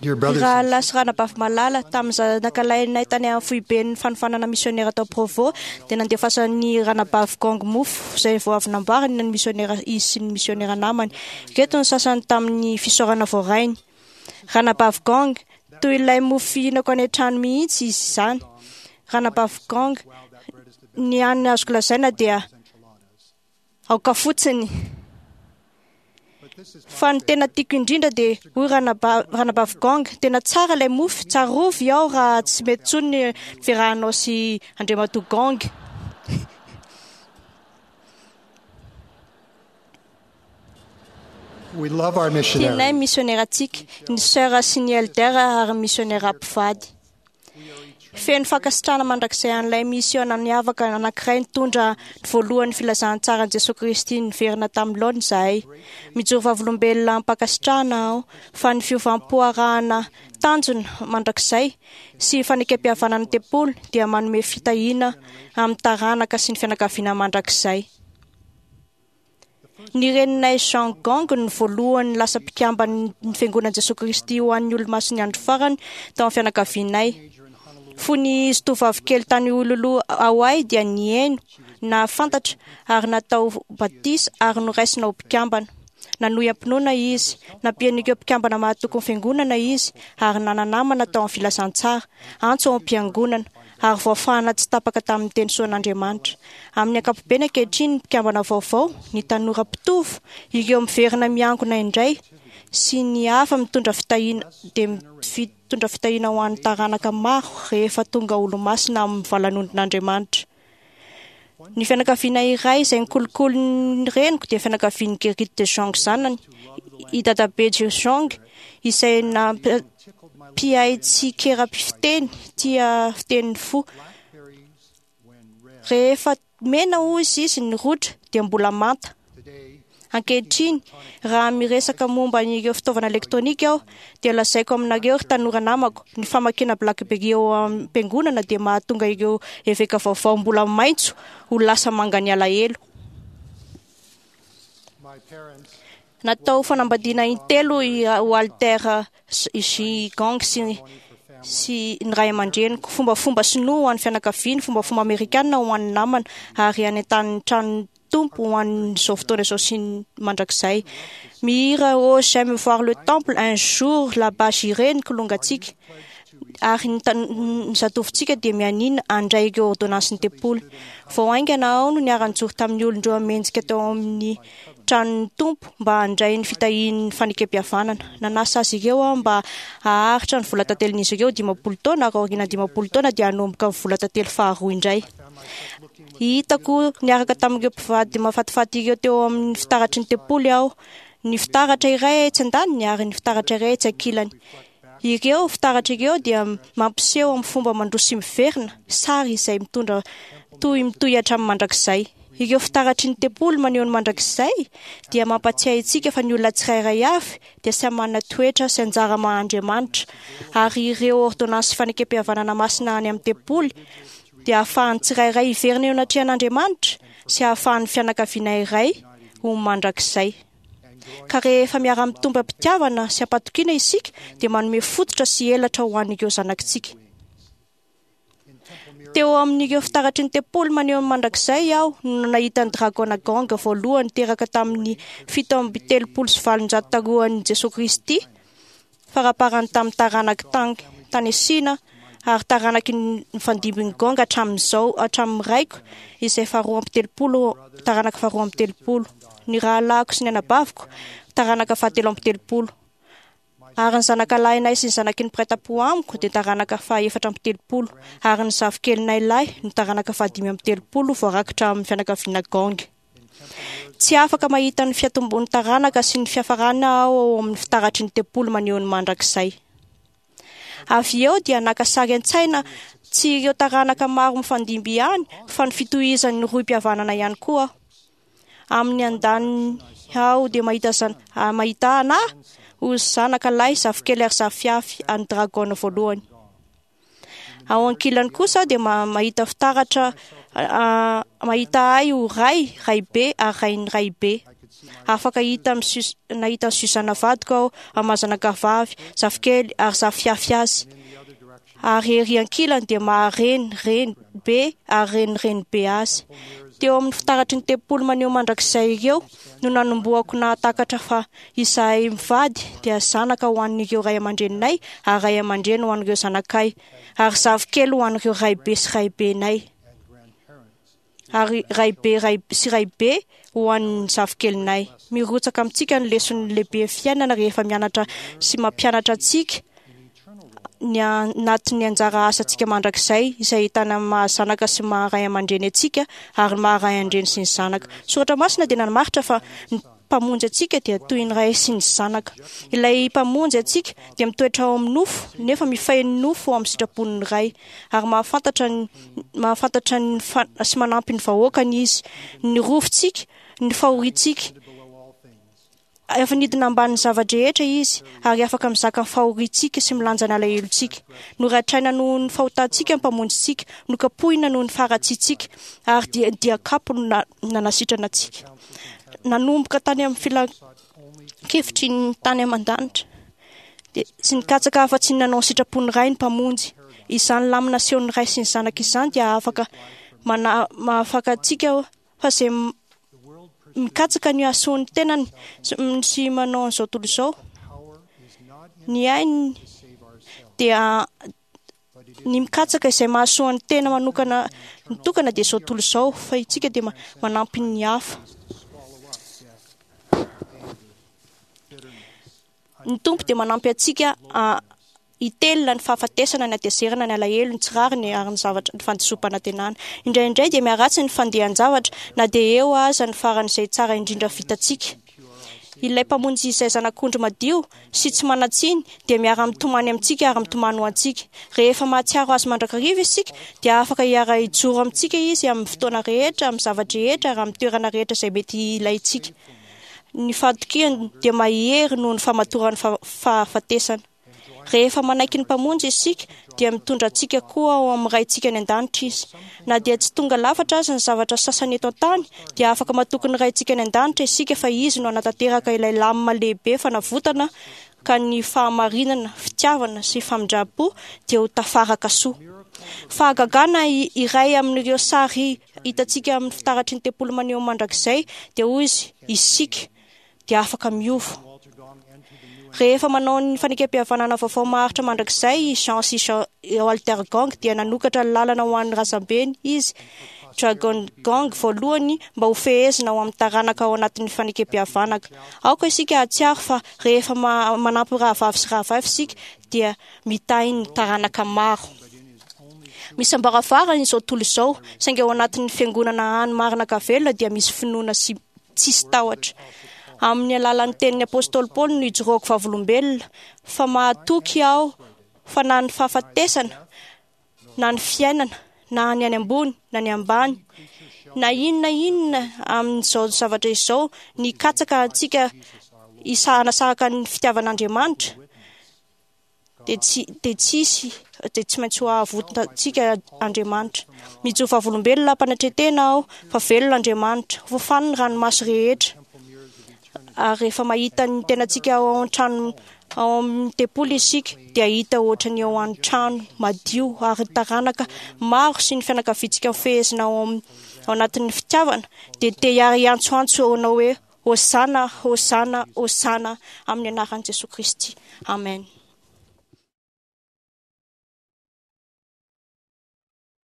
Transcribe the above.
Dear brothers and Rahalahy sy ranabavy malala, tamin'ny zanakalahinay tany amin'ny foiben'ny fanofanana misionera tao Provo, dia nandefasan'ny ranabavy Gong mofo izay vao avy namboariny ny misionera izy sy ny misionera namany. Ireto ny sasany tamin'ny fisaorana voarainy. Ranabavy Gong, toy ilay mofo fihinako any an-trano mihitsy izy izany. Ranabavy Gong, ny hany azoko lazaina dia aoka fotsiny. Fa ny tena tiako indrindra dia hoy ranabavy Gong, tena tsara ilay mofo, tsarovy aho raha tsy mety intsony ny fiarahanao sy Andriamatoa Gong. We love our Tianay missionaries. misionerantsika, ny sœur sy ny elder ary ny misionera mpivady. Feno fankasitrahana mandrakizay an'ilay misiona niavaka anankiray nitondra ny voalohan'ny filazantsaran'i Jesoa Kristy niverina tamin'ny laoniny izahay. Mijoro vavolombelona am-pankasitrahana aho fa ny fiovam-po arahana tanjona mandrakizay sy fanekempihavanana ny tempoly dia manome fitahiana amin'ny taranaka sy ny fianakaviana mandrakizay. Ny reninay Jean Gong no voalohany lasa mpikamban'ny Fiangonan'i Jesoa Kristy ho an'ny Olomasin'ny Andro Farany tao amin'ny fianakavianay. Fony izy tovovavy kely tany Honolulu, Hawaii dia nihaino, nahafantatra ary natao batisa ary noraisina ho mpikambana. Nanohy am-pinoana izy, nampian'ireo mpikambana mahatoky ny fiangonana izy ary nana-namana tao amin'ny filazantsara, antso ao am-piangonana, ary voafahana tsy tapaka tamin'ny teny soan'Andriamanitra. Amin'ny ankapobeny ankehitriny ny mpikambana vaovao, ny tanora mpitovo, ireo miverina miangona indray sy ny hafa mitondra fitahiana dia mitondra fitahiana ho an'ny taranaka maro rehefa tonga olomasina amin'ny valanondron'Andriamanitra. Ny fianakaviana iray izay nikolokolo ny reniko dia fianakavian'i Gerrit de Jong zanany, i Dadabe de Jong, izay nampihay tsikera-pifiteny tia fitenin'ny fo. Rehefa mena hoy izy ny rotra dia mbola manta. Ankehitriny, raha miresaka momba ireo fitaovana elektronika aho, dia lazaiko aminareo ry tanora namako, ny famakiana BlackBerry eo am-piangonana dia mahatonga ireo eveka vaovao mbola maitso ho lasa mangan'ny alahelo. My parents Natao fanambadiana intelo i Walter J. Gong sy sy ny ray aman-dreniko, fombafomba sinoa ho an'ny fianakaviany, fombafomba amerikana ho an'ny namana, ary any an-tanin'ny tranon'ny Tompo ho an'izao fotoana izao sy ny mandrakizay. Mihira Oh, j'aime voir le temple un jour là-bas j'irai ny kilongantsika, ary ny tan- ny zatovontsika dia mianiana handray ireo ordonnansin'ny tempoly. Vao haingana aho no niara-nijoro tamin'ny olon-dreo mendrika tao amin'ny tranon'ny Tompo mba handray ny fitahian'ny fanekempihavanana. Nanasa azy ireo aho mba haharitra ny vola tantelin'izy ireo 50 taona, ary aorian'ny 50 taona dia hanomboka ny vola tantely faharoa indray. Hitako niaraka tamin'ireo mpivady mahafatifaty ireo teo amin'ny fitaratry ny tempoly aho, ny fitaratra iray etsy andaniny ary ny fitaratra iray etsy ankilany. Ireo fitaratra ireo dia mampiseho amin'ny fomba mandroso sy miverina, sary izay mitondra tohy mitohy hatramin'ny mandrakizay. Ireo fitaratry ny tempoly maneho ny mandrakizay dia mampatsiahy antsika fa ny olona tsirairay avy dia samy manana toetra sy anjara maha Andriamanitra, ary ireo ôrdônansy sy fanekempihavanana masina any amin'ny tempoly dia ahafahan'ny tsirairay hiverina eo anatrehan'Andriamanitra sy ahafahan'ny fianakaviana iray ho mandrakizay. Ka rehefa miara-mitombo am-pitiavana sy am-patokiana isika dia manome fototra sy elatra ho an'ireo zanakitsika. Teo amin'ireo fitaratry ny tempoly maneho ny mandrakizay aho no nahita ny dragona Gong voalohany teraka tamin'ny 837 talohan'i Jesoa Kristy, faraparany tamin'ny taranak'i Tang tany Sina ary taranaky ny nifandimbin'ny Gong hatramin'izao, hatramin'ny raiko izay faharoa amby telopolo, taranaka faharoa amby telopolo, ny rahalahiko sy ny anabaviko, taranaka fahatelo amby telopolo, ary ny zanakalahinay sy ny zanaky ny mpiray tampo amiko dia taranaka faha-34, ary ny zafikelinay lahy no taranaka faha-35 voarakitra amin'ny fianakaviana Gong. Tsy afaka mahita ny fiatombon'ny taranaka sy ny fiafarana aho ao amin'ny fitaratry ny tempoly maneho ny mandrakizay. Avy eo dia naka sary an-tsaina tsy ireo taranaka maro mifandimby ihany fa ny fitohizan'ny rohim-pihavanana ihany koa aho. Amin'ny andaniny aho dia mahita zan- mahita anà ho zanaka lahy, zafikely ary zafiafy an'ny dragona voalohany. Ao ankilany kosa aho dia mahita fitaratra, mahita ahy ho ray, raibe ary rain'ny raibe. Afaka hita amin'i nahita an'i Suzanne vadiko aho amin'ny maha zanakavavy, zafikely ary zafiafy azy. Ary ery ankilany dia maha reny, reny be ary reny reny be azy. Teo amin'ny fitaratry ny tempoly maneho mandrakizay ireo no nanombohako nahatakatra fa izahay mivady dia zanaka ho an'ireo ray aman-dreninay ary ray aman-dreny ho an'ireo zanakay ary zafikely ho an'ireo raibe sy raibenay ary raibe ray sy raibe ho an'ny zafikelinay. Mirotsaka amintsika ny leson'ny lehibe fiainana rehefa mianatra sy mampianatra antsika ny anatin'ny anjara asantsika mandrakizay izay ahitana ny maha zanaka sy maha ray aman-dreny antsika ary ny maha ray aman-dreny sy ny zanaka. Soratra masina dia nanamaritra fa ny Mpamonjy antsika dia toy ny ray sy ny zanaka. Ilay Mpamonjy antsika dia mitoetra ao amin'ny nofo nefa mifehy ny nofo ao amin'ny sitrapon'ny Ray ary mahafantatra ny mahafantatra ny sy manampy ny vahoakany Izy. Ny rofintsika, ny fahoriantsika. Efa nidina ambanin'ny zava-drehetra Izy ary afaka mizaka ny fahoriantsika sy milanja ny alahelontsika. Noratraina noho ny fahotantsika ny Mpamonjintsika, nokapohina noho ny faharatsiantsika ary dia dia kapo no nanasitrana antsika. Nanomboka tany amin'ny filan-kevitry ny tany aman-danitra dia tsy nikatsaka afa-tsy ny nanao ny sitrapon'ny Ray ny Mpamonjy. Izany lamina asehon'ny Ray sy ny Zanaka izany dia afaka mana mahafaka antsika fa izay mikatsaka ny hahasoan'ny tenany sy manao an'izao tontolo izao ny ainy dia ny mikatsaka izay mahasoan'ny tena manokana mitokana dia izao tontolo izao fa isika dia manampy ny hafa. Ny Tompo dia manampy antsika hitelina ny fahafatesana, ny hatezerana, ny alahelo, ny tsy rariny ary ny zavatra ny fandisoam-panantenana. Indraindray dia miharatsy ny fandehan-javatra na dia eo aza ny faran'izay tsara indrindra vitantsika. Ilay Mpamonjy izay zanak'ondry madio sy tsy manan-tsiny dia miara-mitomany amintsika ary mitomany ho antsika. Rehefa mahatsiaro Azy mandrakariva isika dia afaka hiara-hijoro amintsika Izy amin'ny fotoana rehetra, amin'ny zava-drehetra ary amin'ny toerana rehetra izay mety hilaintsika. Ny fahatokiany dia mahery noho ny famatoran'ny fahafatesana. Rehefa manaiky ny Mpamonjy isika, dia mitondra antsika koa ao amin'ny Raintsika any an-danitra Izy. Na dia tsy tonga lafatra aza ny zavatra sasany eto an-tany, dia afaka matoky ny Raintsika any an-danitra isika fa Izy no hanatanteraka ilay lamina lehibe fanavotana ka ny fahamarinana, fitiavana sy famindram-po dia ho tafaraka soa. Fahagagana iray amin'ireo sary hitantsika amin'ny fitaratry ny tempoly maneho mandrakizay dia hoy izy, isika dia afaka miova. Rehefa manao ny fanekempihavanana vaovao maharitra mandrakizay i Jean sy Jean Walter Gong dia nanokatra lalana ho an'ny razambeny izy, Dragon Gong voalohany mba ho fehezina ao amin'ny taranaka ao anatin'ny fanekempihavanaka. Aoka isika hahatsiaro fa rehefa manampy rahavavy sy rahavavy isika dia mitahy ny taranaka maro. Misy ambaravarana izao tontolo izao, saingy ao anatin'ny fiangonana hany marina ka velona dia misy finoana sy tsisy tahotra. Amin'ny alalan'ny tenin'ny apostoly Paoly no ijoroako vavolombelona fa mahatoky aho fa na ny fahafatesana na ny fiainana na ny any ambony na ny ambany na inona inona amin'izao zavatra izao ny katsaka antsika hanasaraka ny fitiavan'Andriamanitra dia tsy dia tsy hisy dia tsy maintsy ho avotantsika Andriamanitra. Mijoro vavolombelona am-panetren-tena aho fa velona Andriamanitra. Hofafany ny ranomaso rehetra. Ary rehefa mahita ny tenantsika ao an-trano ao amin'ny tempoly isika dia hita ohatra ny ao an-trano madio ary ny taranaka maro sy ny fianakaviantsika mifehezina ao amin'ny ao anatin'ny fitiavana dia te hiara-hiantsoantso anao hoe Hosana, Hosana, Hosana amin'ny anaran'i Jesoa Kristy. Amen.